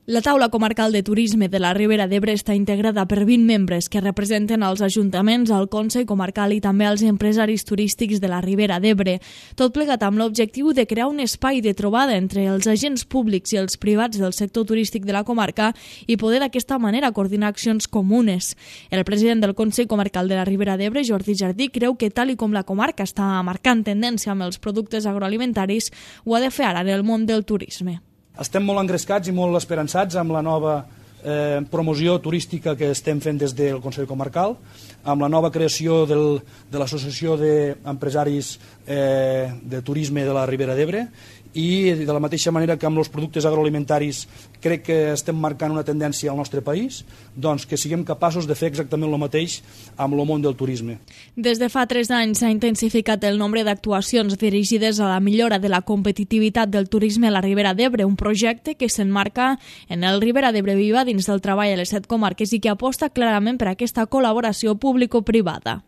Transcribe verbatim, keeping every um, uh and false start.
La taula comarcal de turisme de la Ribera d'Ebre està integrada per vint membres que representen els ajuntaments, el Consell Comarcal i també els empresaris turístics de la Ribera d'Ebre. Tot plegat amb l'objectiu de crear un espai de trobada entre els agents públics i els privats del sector turístic de la comarca i poder d'aquesta manera coordinar accions comunes. El president del Consell Comarcal de la Ribera d'Ebre, Jordi Jardí, creu que tal i com la comarca està marcant tendència amb els productes agroalimentaris, ho ha de fer ara en el món del turisme. Estem molt engrescats i molt esperançats amb la nova eh, promoció turística que estem fent des del Consell Comarcal, amb la nova creació del, de l'Associació d'Empresaris eh, de Turisme de la Ribera d'Ebre, i de la mateixa manera que amb els productes agroalimentaris crec que estem marcant una tendència al nostre país, doncs que siguem capaços de fer exactament el mateix amb el món del turisme. Des de fa tres anys s'ha intensificat el nombre d'actuacions dirigides a la millora de la competitivitat del turisme a la Ribera d'Ebre, un projecte que s'emmarca en el Ribera d'Ebre Viva dins del treball a les set comarques i que aposta clarament per aquesta col·laboració público-privada.